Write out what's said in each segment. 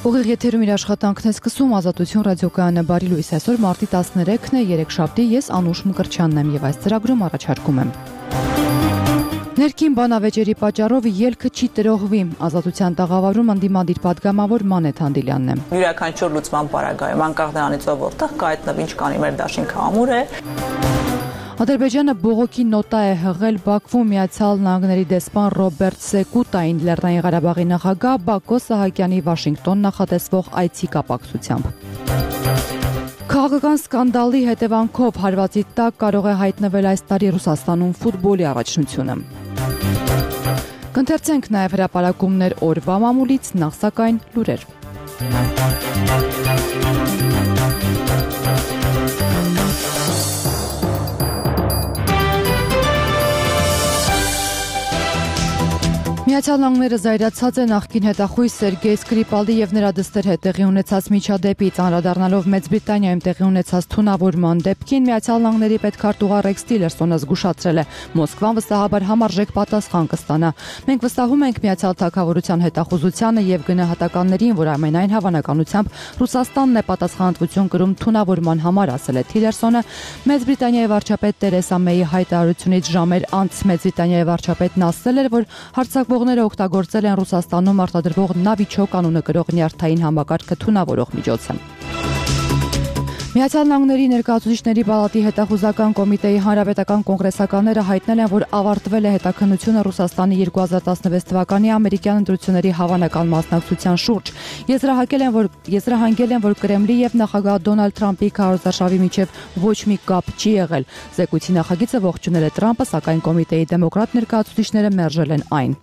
Ուղիղ եթերում իր աշխատանքն է սկսում Ազատություն ռադիոկայանը բարի լույս այսօր մարտի 13-ն է երեքշաբթի ես Անուշ Մկրտչյանն եմ եւ այս ծրագրում առաջարկում եմ Ներքին բանավեճերի պատճառով ելքը չի տրողվի Ազատության տաղավարում ընդդիմադիր պատգամավոր Մանեթ Հանդիլյանն է Յուրաքանչյուր լուծման պարագայում անկախ դրանից որտեղ կա այդ ինչ կանի մեր դաշինքը ամուր է Ադրբեջանը բողոքի նոտա է հղել Բաքվում Միացյալ Նահանգների դեսպան Ռոբերտ Սեկուտային Լեռնային Ղարաբաղի նախագահ Բակո Սահակյանի Վաշինգտոն նախատեսվող այցի կապակցությամբ Քաղաքական սկանդալի հետևանքով հարվածի տակ կարող է հայտնվել այս տարի Ռուսաստանում ֆուտբոլի առաջնությունը Կընթերցենք նաև հրապարակումներ օրվա մամուլից նախ սակայն լուրեր Միացյալ Նահանգները զայրացած է նախկին հետախույզ Սերգեյ Սկրիպալի եւ նրա դստեր հետ տեղի ունեցած միջադեպից անդրադառնալով Մեծ Բրիտանիայում տեղի ունեցած թունավորման դեպքին Միացյալ Նահանգների պետքարտուղար Ռեքս Տիլերսոնը զգուշացրել է Մոսկվան վստահաբար համարժեք պատասխան կստանա Մենք վստահում ենք Միացյալ Թագավորության հետախուզությանը եւ գնահատականներին որ ամենայն հավանականությամբ Ռուսաստանն է պատասխանատվություն կրում թունավորման համար ասել է Տիլերսոնը Մեծ Բրիտանիայի վարչապետ Տերեսա Մեյի հայտարարությունից ժամեր անց Մեծ Բրիտանիայի վարչապետն ասել էր որ հարձակվողները օգտագործել են Ռուսաստանում արտադրվող Նավիչոկ անունը կրող նյարդային համակարգը թունավորող միջոցը Միացյալ Նահանգների ներկայացուցիչների պալատի հետախուզական կոմիտեի հանրապետական կոնգրեսականները հայտնել են, որ ավարտվել է հետաքննությունը Ռուսաստանի 2016 թվականի ամերիկյան ընտրությունների հավանական մասնակցության շուրջ։ Եզրահանգել են, որ Կրեմլի եւ նախագահ Դոնալդ Թրամփի քարոզարշավի միջև ոչ մի կապ չի եղել։ Զեկույցի նախագիծը ողջունել է Թրամփը, սակայն կոմիտեի դեմոկրատ ներկայացուցիչները մերժել են այն։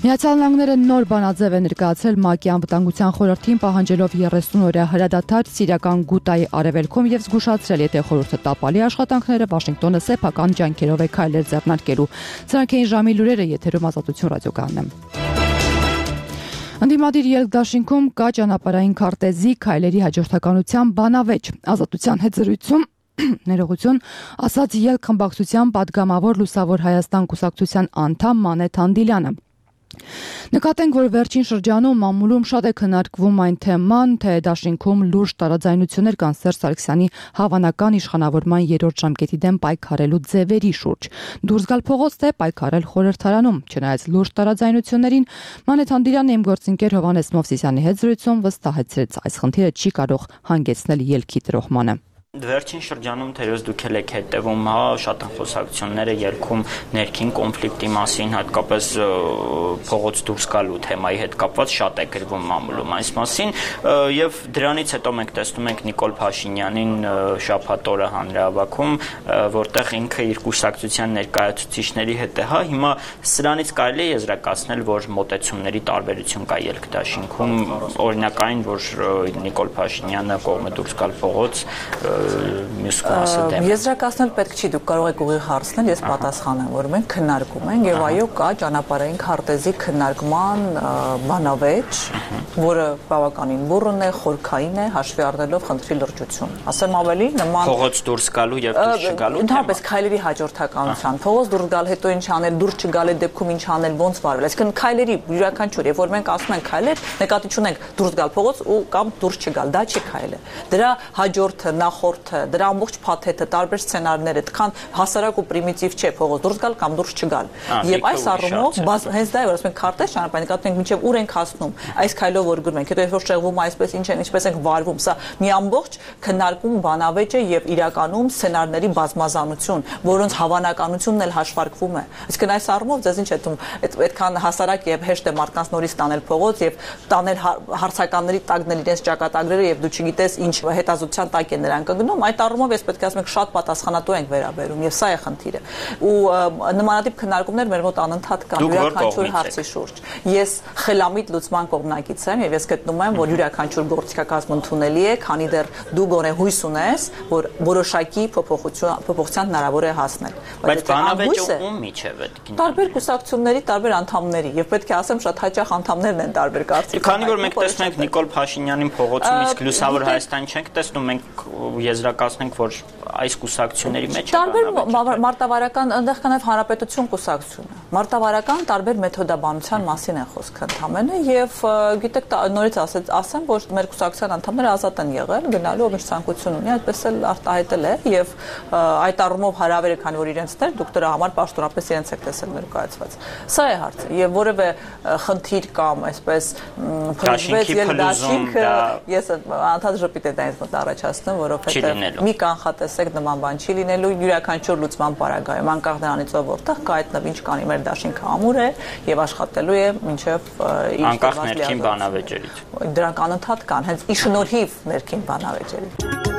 Միացյալ Նահանգները նոր բանաձև է ներկայացրել ՄԱԿ-ի անվտանգության խորհրդին պահանջելով 30 օրյա հրադադար Սիրիական Գուտայի արևելքում եւ զգուշացրել, եթե խորհուրդը տապալի աշխատանքները Վաշինգտոնը սեփական ջանքերով է քայլեր ձեռնարկելու։ Սրանք էին ժամի լուրերը եթերում Ազատություն ռադիոկայանն է։ Ընդդիմադիր ելքդաշինքում կա ճանապարհային քարտեզի քայլերի հաջորդականության բանավեճ։ Ազատության հետ զրույցում ներողություն, ասաց ելք խմբակցության պատգամավոր Լուսավոր Հայաստան կուսակցության անդամ Մանեթ Հանդիլյանը։ Նկատենք, որ վերջին շրջանում մամուլում շատ է քննարկվում այն թեման, թե դաշինքում լուրջ տարաձայնություններ կան Սերժ Սարգսյանի հավանական իշխանավորման երրորդ ժամկետի դեմ պայքարելու ձևերի շուրջ։ Դուրս գալ փողոց թե պայքարել խորհրդարանում։ Չնայած լուրջ տարաձայնություններին, Մանեթ Հանդիլյանը իմ գործընկեր Հովհաննես Մովսիսյանի հետ զրույցում վստահեցրեց, այս խնդիրը չի կարող հանգեցնել ելքի տրոհմանը։ Վերջին շրջանում թերևս դուք եք հետևում, շատ են խոսակցությունները ելքում ներքին կոնֆլիկտի մասին, հատկապես փողոց դուրս գալու թեմայի հետ կապված շատ է գրվում մամուլում այս մասին, եւ դրանից հետո մենք տեսնում ենք Նիկոլ Փաշինյանին շաբաթ օրը հանրահավաքում, որտեղ ինքը իր կուսակցության ներկայացուցիչների հետ է, հիմա սրանից կարելի է եզրակացնել, որ մոտեցումների տարբերություն կա ելքդաշինքում, օրինակ այն, որ Նիկոլ Փաշինյանը կողմը դուրս գալ փողոց Եզրակացնել պետք չի, դուք կարող եք ուղիղ հարցնել, ես պատասխանեմ, որ մենք քննարկում ենք եւ այո կա ճանապարհային քարտեզի քննարկման բանավեճ, որը բավականին բուռն է, խորքային է, հաշվի առնելով խնդրի լրջություն։ Ասեմ ավելի, նման փողոց դուրս գալու եւ դուրս չգալու ընդհանրապես քայլերի հաջորդականության, փողոց դուրս գալ, հետո ինչ անել, դուրս չգալու դեպքում ինչ անել, ոնց վարվել։ Այսինքն քայլերի յուրաքանչյուր, երբ որ մենք ասում ենք քայլեր, նկատի չունենք դուրս գալ փողոց ու կամ դուրս չգալ, դա չի քայլը։ Դրա հաջորդը նախորդը, դրա ամբողջ փաթեթը, տարբեր սցենարները, այդքան հասարակ ու պրիմիտիվ չէ փողոց դուրս գալ կամ դուրս չգալ։ Եվ այս առումով հենց դա է, որ ասում ենք քարտեզ ճանապարհին, նկատում ենք մինչև ուր ենք հասնում, այս քայլով որ գրում ենք, հետո երբ որ շեղվում այսպես ինչ են, ինչպես ենք վարվում, սա մի ամբողջ քննարկում բանավեճ է եւ իրականում սցենարների բազմազանություն, որոնց հավանականությունն էլ հաշվարկվում է։ Այսինքն այս առումով ձեզ ինչ է թվում, այդքան հասարակ եւ հեշտ է մարդկանց նորից տանել փողոց եւ տանել հարցականների տակնել իրենց ճակատագրերը եւ դու չգիտես ինչ հետազոտության տակ է նրանք ընկնում, այդ առումով ես պետք է ասեմ շատ պատասխանատու ենք վերաբերում եւ սա է խնդիրը։ Ու նմանատիպ քննարկումներ մեր մոտ անընդհատ կան յուրաքանչյուր հարցի շուրջ։ Ես խելամիտ լուծման կողմնակից եմ եւ ես գտնում եմ, որ յուրաքանչյուր գործիքակազմ ընդունելի է, քանի դեռ դու գոնե հույս ունես, որ որոշակի փոփոխության հնարավոր է հասնել։ Բայց բանավեճը ում միջև է։ Տարբեր կուսակցությունների, տարբեր անդամների եւ պետք է ասեմ շատ հաճախ անդամներն են տարբեր կարծիքներ։ Քանի որ մենք տեսնում ենք Նիկոլ Փաշինյանին փողոցում, իսկ Լուսավոր Հայաստան չենք տեսնում, մենք եզրակացնենք, որ այս կուսակցությունների մեջ տարբեր մարտավարական այնտեղ կա նաև հանրապետություն կուսակցությունը։ Մարտավարական տարբեր մեթոդաբանության մասին է խոսքը ընդհանրապես եւ գիտեք նորից ասեմ, որ մեր կուսակցության անդամները ազատ են եղել գնալու ով ինչ ցանկություն ունի, այդպես էլ արտահայտել է եւ այդ առումով հարավերը քանի որ իրենցներ դուք դրա համար պաշտոնապես իրենց եք տեսել ներկայացված։ Սա է հարցը եւ որևէ խնդիր կամ այսպես փրկվեց ելդաշինք ես անդադ ժպիտ է դա ինձ մոտ առաջացնում, որովհետեւ մի կանխատեսեք նման բան չի լինելու յուրաքանչյուր լուծման պարագայում անկախ նրանից ով որտեղ կայտնվի ինչ կանի մեր դաշինքը ամուր է եւ աշխատելու է մինչեւ իր անկախ ներքին բանավեճերից դրանք անընդհատ կան հենց ի շնորհիվ ներքին բանավեճերի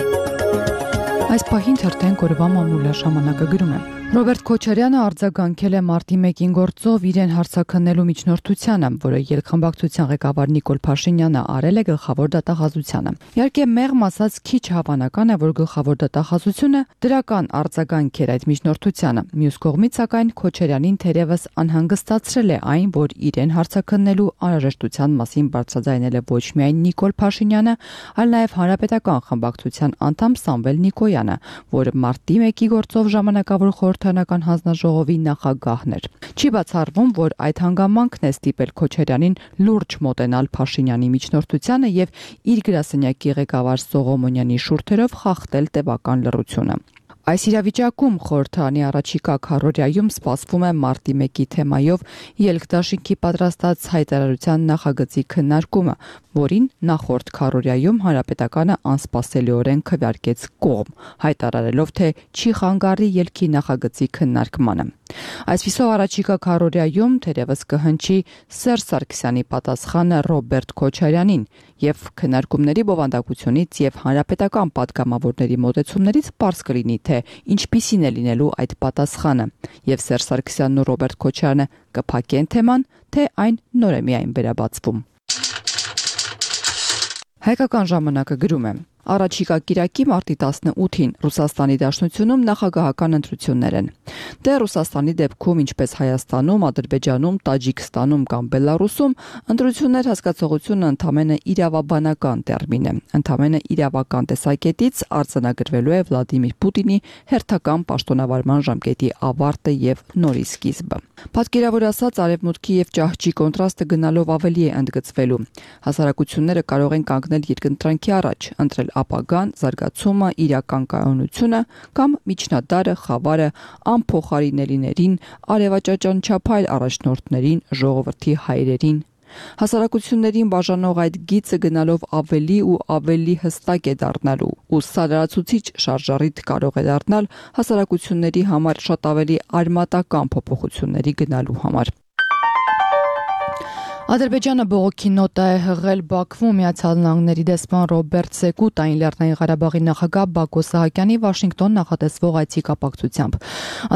Այս պահին թերթեն կորվա մամուլը ժամանակագրում է Ռոբերտ Քոչարյանը արձագանքել է մարտի 1-ին գործով իրեն հարցաքննելու միջնորդությանը, որը ելքխմբակցության ղեկավար Նիկոլ Փաշինյանը արել է գլխավոր դատախազությանը։ Իհարկե մեղմ ասած քիչ հավանական է, որ գլխավոր դատախազությունը դրական արձագանք էր այդ միջնորդությանը։ Մյուս կողմից սակայն Քոչարյանին թերևս անհանգստացրել է այն, որ իրեն հարցաքննելու անհրաժեշտության մասին բարձրաձայնել է ոչ միայն Նիկոլ Փաշինյանը, այլ նաև հանրապետական խմբակցության անդամ Սամվել Նիկոյանը, որը մարտի 1-ի գործով ժամանակավոր խորհրդարանական հանձնաժողովի նախագահներ։ Չի բացառվում, որ այդ հանգամանքն է ստիպել Քոչարյանին լուրջ մոտենալ Փաշինյանի միջնորդությանը եւ իր գրասենյակի ղեկավար Սողոմոնյանի շուրթերով խախտել տևական լռությունը։ Այս իրավիճակում խորհրդարանի առաջիկա քառորյայում սպասվում է մարտի 1-ի թեմայով ելքդաշինքի պատրաստած հայտարարության նախագծի քննարկումը, որին նախորդ քառորյայում հանրապետականը անսպասելիորեն քվեարկեց կողմ, հայտարարելով, թե չի խանգարի ելքի նախագծի քննարկմանը։ Այսպիսով առաջիկա քառորյայում թերևս կհնչի Սերժ Սարգսյանի պատասխանը Ռոբերտ Քոչարյանին եւ քննարկումների բովանդակությունից եւ հանրապետական պատգամավորների մոտեցումներից պարզ կլինի, թե ինչպիսին է լինելու այդ պատասխանը եւ Սերժ Սարգսյանն ու Ռոբերտ Քոչարյանը կփակեն թեման, թե այն նոր է միայն վերաբացվում։ Հայկական ժամանակը գրում է. Առաջիկա կիրակի մարտի 18-ին Ռուսաստանի Դաշնությունում նախագահական ընտրություններ են։ Դե Ռուսաստանի դեպքում, ինչպես Հայաստանում, Ադրբեջանում, Տաջիկստանում կամ Բելարուսում, ընտրություններ հասկացողությունը ընդամենը իրավաբանական տերմին է։ Ընդամենը իրավական տեսակետից արձանագրվելու է Վլադիմիր Պուտինի հերթական պաշտոնավարման ժամկետի ավարտը եւ նորի սկիզբը։ Պատկերավոր ասած, արևմուտքի եւ ճահճի կոնտրաստը գնալով ավելի է ընդգծվելու։ Հասարակությունները կարող են կանգնել երկընտրանքի առաջ, ընտրել ապագան, զարգացումը, իրական կայունությունը կամ միջնադարը, խավարը, անփոխարինելիներին, արևաճաճանչափայլ առաջնորդներին, ժողովրդի հայրերին։ Հասարակություններին բաժանող այդ գիծը գնալով ավելի ու ավելի հստակ է դառնալու, ու սա լրացուցիչ շարժառիթ կարող է դառնալ հասարակությունների համար շատ ավելի արմատական փոփոխությունների գնալու համար։ Ադրբեջանը բողոքի նոտա է հղել Բաքվում Միացյալ Նահանգների դեսպան Ռոբերտ Սեկուտային Լեռնային Ղարաբաղի նախագահ Բակո Սահակյանի Վաշինգտոն նախատեսվող այցի կապակցությամբ։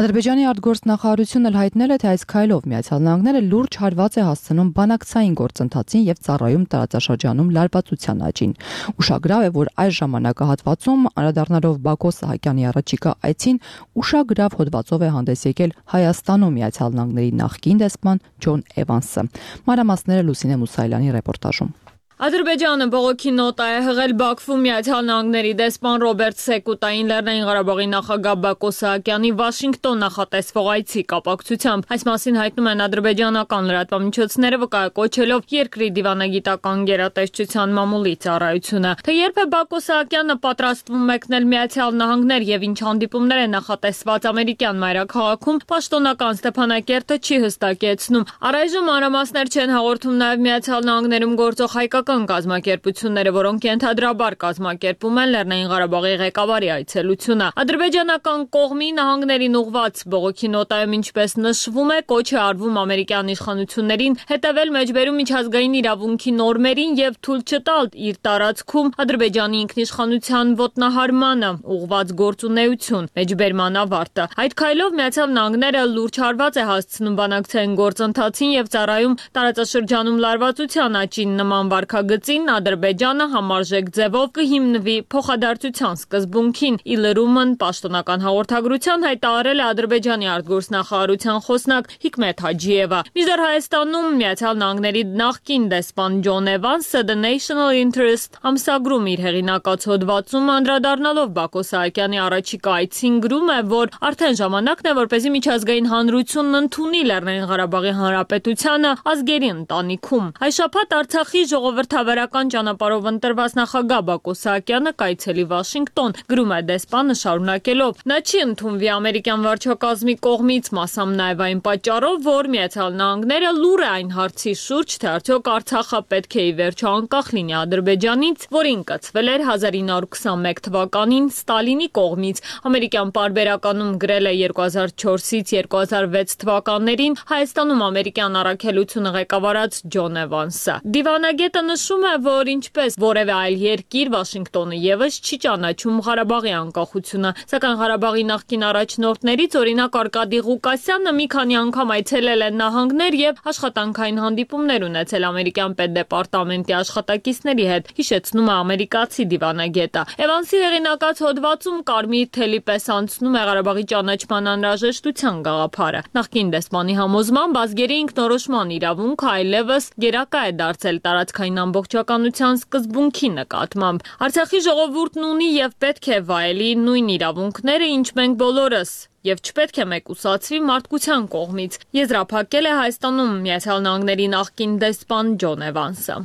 Ադրբեջանի արտգործնախարարությունն հայտնել է, թե այս քայլով Միացյալ Նահանգները լուրջ հարված է հասցնում բանակցային գործընթացին եւ ծառայում տարածաշրջանում լարվածության աճին։ Ուշագրավ է, որ այս ժամանակահատվածում անդրադառնալով Բակո Սահակյանի առաջիկա այցին ուշագրավ հոդվածով է հանդես եկել Հայաստանում Միացյալ Նահանգների նախկին դեսպան Ջոն Էվանսը։ Մանրամասները Լուսինե Մուսայելյանի ռեպորտաժում։ Ադրբեջանը բողոքի նոտա է հղել Բաքվում Միացյալ Նահանգների դեսպան Ռոբերտ Սեկուտային Լեռնային Ղարաբաղի նախագահ Բակո Սահակյանի Վաշինգտոն նախատեսվող այցի կապակցությամբ։ Այս մասին հայտնում են ադրբեջանական լրատվամիջոցները, վկայակոչելով երկրի դիվանագիտական գերատեսչության մամուլի ծառայությունը։ Թե երբ է Բակո Սահակյանը պատրաստվում մեկնել Միացյալ Նահանգներ եւ ինչ հանդիպումներ է նախատեսված ամերիկյան մայրաքաղաքում, պաշտոնական Ստեփանակերտը չի հստակեցնում։ Առայժմ մանրամասներ չեն հաղորդում նաեւ Միացյալ Նահանգներում գործող հայկական կազմակերպությունները, որոնք ենթադրաբար կազմակերպում են Լեռնային Ղարաբաղի ղեկավարի այցելությունը։ Ադրբեջանական կողմի նահանգներին ուղված բողոքի նոտայում ինչպես նշվում է, կոչ է արվում ամերիկյան իշխանություններին հետևել մեջբերում միջազգային իրավունքի նորմերին եւ թույլ չտալ իր տարածքում Ադրբեջանի ինքնիշխանության ոտնահարմանը ուղված գործունեություն, մեջբերման ավարտը։ Այդ քայլով Միացյալ Նահանգները լուրջ հարված է հասցնում բանակցային գործընթացին եւ ծառայում տարածաշրջանում լարվածության աճին նման վարքագծի նախագծին Ադրբեջանը համարժեք ձևով կհիմնվի փոխադարձության սկզբունքին։ Ի լրումն պաշտոնական հաղորդագրության հայտարարել է Ադրբեջանի արտգործնախարարության խոսնակ Հիկմետ Հաջիևը։ Մինչդեռ Հայաստանում Միացյալ Նահանգների նախկին դեսպան Ջոն Էվանսը The National Interest ամսագրում իր հեղինակած հոդվածում անդրադառնալով Բակո Սահակյանի առաջիկա այցին գրում է, որ արդեն ժամանակն է, որպեսզի միջազգային հանրությունն ընդունի Լեռնային Ղարաբաղի Հանրապետությանը ազգերի ընտանիքում։ Այս շաբաթ Արցախի ժողովրդավարական ճանապարհով ընտրված նախագահ Բակո Սահակյանը կայցելի Վաշինգտոն, գրում է դեսպանը շարունակելով. Նա չի ընդունվի ամերիկյան վարչակազմի կողմից, մասամբ նաև այն պատճառով, որ Միացյալ Նահանգները լուր է այն հարցի շուրջ, թե արդյոք Արցախը պետք է ի վերջո անկախ լինի Ադրբեջանից, որին կցվել էր 1921 թվականին Ստալինի կողմից։ Ամերիկյան պարբերականում գրել է 2004-ից 2006 թվականներին Հայաստանում ամերիկյան առաքելությունը ղեկավարած Ջոն Էվանսը։ Դիվանագետը նշում է, որ ինչպես որևէ այլ երկիր Վաշինգտոնը եւս չի ճանաչում Ղարաբաղի անկախությունը, սակայն Ղարաբաղի նախկին առաջնորդներից օրինակ Արկադի Ղուկասյանը մի քանի անգամ այցելել է նահանգներ եւ աշխատանքային հանդիպումներ ունեցել ամերիկյան պետդեպարտամենտի աշխատակիցների հետ, հիշեցնում է ամերիկացի դիվանագետը։ Էվանսի հեղինակած հոդվածում կարմիր թելի պես անցնում է Ղարաբաղի ճանաչման անհրաժեշտության գաղափարը։ Նախկին դեսպանի համոզմամբ ազգերի ինքնորոշման իրավունքը այլևս գերակա է դարձել տարածքային ամբողջականության սկզբունքի նկատմամբ։ Արցախի ժողովուրդն ունի եւ պետք է վայելի նույն իրավունքները, ինչ մենք բոլորս, եւ չպետք է մեկուսացվի մարդկության կողմից, եզրափակել է Հայաստանում Միացյալ Նահանգների նախկին դեսպան Ջոն Էվանսը։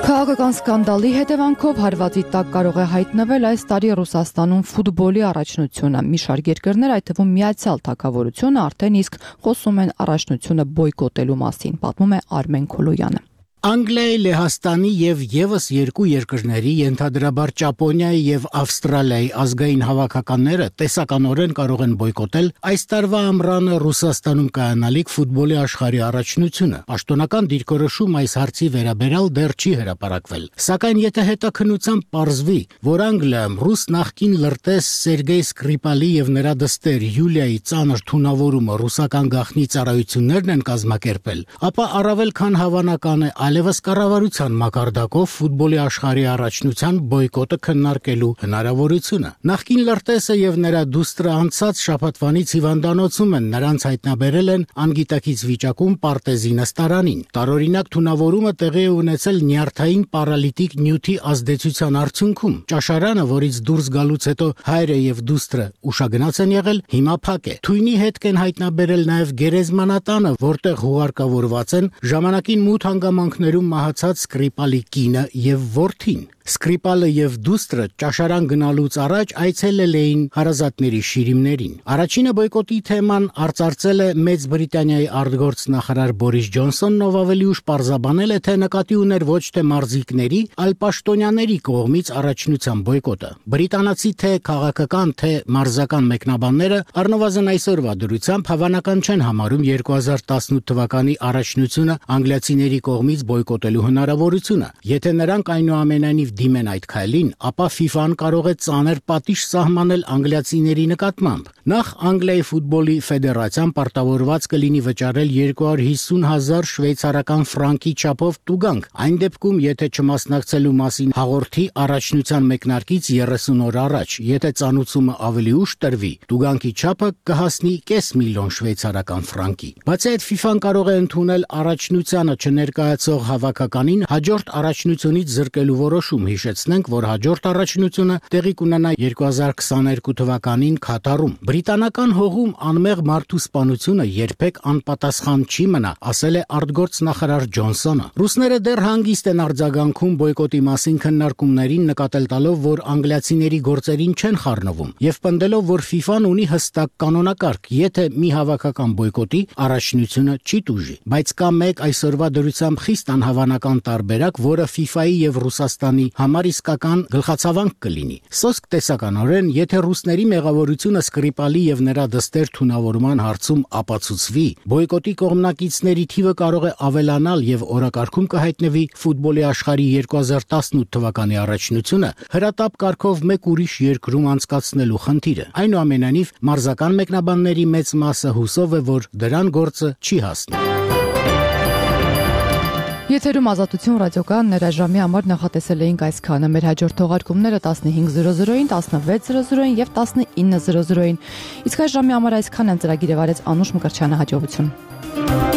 Քաղաքական սկանդալի հետևանքով հարվածի տակ կարող է հայտնվել այս տարի Ռուսաստանում ֆուտբոլի առաջնությունը։ Մի շարք երկրներ, այդ թվում Միացյալ Թագավորությունը, արդեն իսկ խոսում են առաջնությունը բոյկոտելու մասին, պատմում է Արմեն Քոլոյանը։ Անգլիայի, Լեհաստանի եւ եւս երկու երկրների, ենթադրաբար Ճապոնիայի եւ Ավստրալիայի ազգային հավաքականները տեսականորեն կարող են բոյկոտել այս տարվա ամռանը Ռուսաստանում կայանալիք ֆուտբոլի աշխարհի առաջնությունը։ Պաշտոնական դիրքորոշում այս հարցի վերաբերյալ դեռ չի հրապարակվել։ Սակայն եթե հետաքննությամբ պարզվի, որ Անգլիայում ռուս նախկին լրտես Սերգեյ Սկրիպալի եւ նրա դստեր Յուլիայի ծանր թունավորումը ռուսական գաղտնի ծառայություններն են կազմակերպել, ապա առավել քան հավանական է այլևս կառավարության մակարդակով ֆուտբոլի աշխարհի առաջնության բոյկոտը քննարկելու հնարավորությունը։ Նախկին լրտեսը եւ նրա դուստրը անցած շաբաթվանից հիվանդանոցում են, նրանց հայտնաբերել են անգիտակից վիճակում Պարտեզի նստարանին։ Տարօրինակ թունավորումը տեղի է ունեցել նյարդային պարալիտիկ նյութի ազդեցության արդյունքում։ Ճաշարանը, որից դուրս գալուց հետո հայրը եւ դուստրը ուշագնաց են եղել, հիմա փակ է։ Թույնի հետք են հայտնաբերել նաեւ գերեզմանատանը, որտեղ հուղարկավորված են ժամանակին մութ հանգամանքներում մահացած Սկրիպալի կինը եւ որդին։ Սկրիպալը եւ դուստրը ճաշարան գնալուց առաջ այցելել էին հարազատների շիրիմներին։ Առաջինը բոյկոտի թեման արծարծել է Մեծ Բրիտանիայի արտգործնախարար Բորիս Ջոնսոնն, ով ավելի ուշ պարզաբանել է, թե նկատի ուներ ոչ թե մարզիկների, այլ պաշտոնյաների կողմից առաջնության բոյկոտը։ Բրիտանացի թե քաղաքական, թե մարզական մեկնաբանները առնվազն այսօրվա դրությամբ հավանական չեն համարում 2018 թվականի առաջնությունը անգլիացիների կողմից բոյկոտելու հնարավորությունը։ Եթե նրանք այնուամենայնիվ դիմեն այդ քայլին, ապա FIFA-ն կարող է ծանր պատիժ սահմանել անգլիացիների նկատմամբ։ Նախ Անգլիայի ֆուտբոլի ֆեդերացիան պարտավորված կլինի վճարել 250,000 շվեյցարական ֆրանկի չափով տուգանք, այն դեպքում, եթե չմասնակցելու մասին հաղորդի առաջնության մեկնարկից 30 օր առաջ, եթե ծանուցումը ավելի ուշ տրվի, տուգանքի չափը կհասնի 500,000 շվեյցարական ֆրանկի։ Բացի այդ, FIFA-ն կարող է ընդունել առաջնությանը չներկայացող հավաքականին հաջորդ առաջնությունից զրկելու որոշում։ Հիշեցնենք, որ հաջորդ առաջնությունը տեղի կունենա 2022 թվականին Քաթարում։ Բրիտանական հողում անմեղ մարդու սպանությունը երբեք անպատասխան չի մնա, ասել է արտգործնախարար Ջոնսոնը։ Ռուսները դեռ հանգիստ են արձագանքում բոյկոտի մասին քննարկումներին, նկատել տալով, որ անգլիացիների գործերին չեն խառնվում, եւ պնդելով, որ FIFA-ն ունի հստակ կանոնակարգ, եթե մի հավաքական բոյկոտի, առաջնությունը չի տուժի։ Բայց կա մեկ այսօրվա դրությամբ խիստ անհավանական տարբերակ, որը FIFA-ի եւ Ռուսաստանի համար իսկական գլխացավանք կլինի։ Սոսկ տեսականորեն, եթե ռուսների մեղավորությունը Սկրիպալի եւ նրա դստեր թունավորման հարցում ապացուցվի, բոյկոտի կողմնակիցների թիվը կարող է ավելանալ եւ օրակարգում կհայտնվի ֆուտբոլի աշխարհի 2018 թվականի առաջնությունը հրատապ կարգով մեկ ուրիշ երկրում անցկացնելու խնդիրը։ Այնուամենայնիվ, մարզական մեկնաբանների մեծ մասը հուսով է, որ դրան գործը չի հասնի։ Եթերում Ազատություն ռադիոկայանն էր, ժամի համար նախատեսել էինք այսքանը։ Մեր հաջորդ թողարկումները 15:00-ին, 16:00-ին եւ 19:00-ին։ Իսկ այս ժամի համար այսքան են, ծրագիրը վարեց Անուշ Մկրտչյանը, հաջողություն։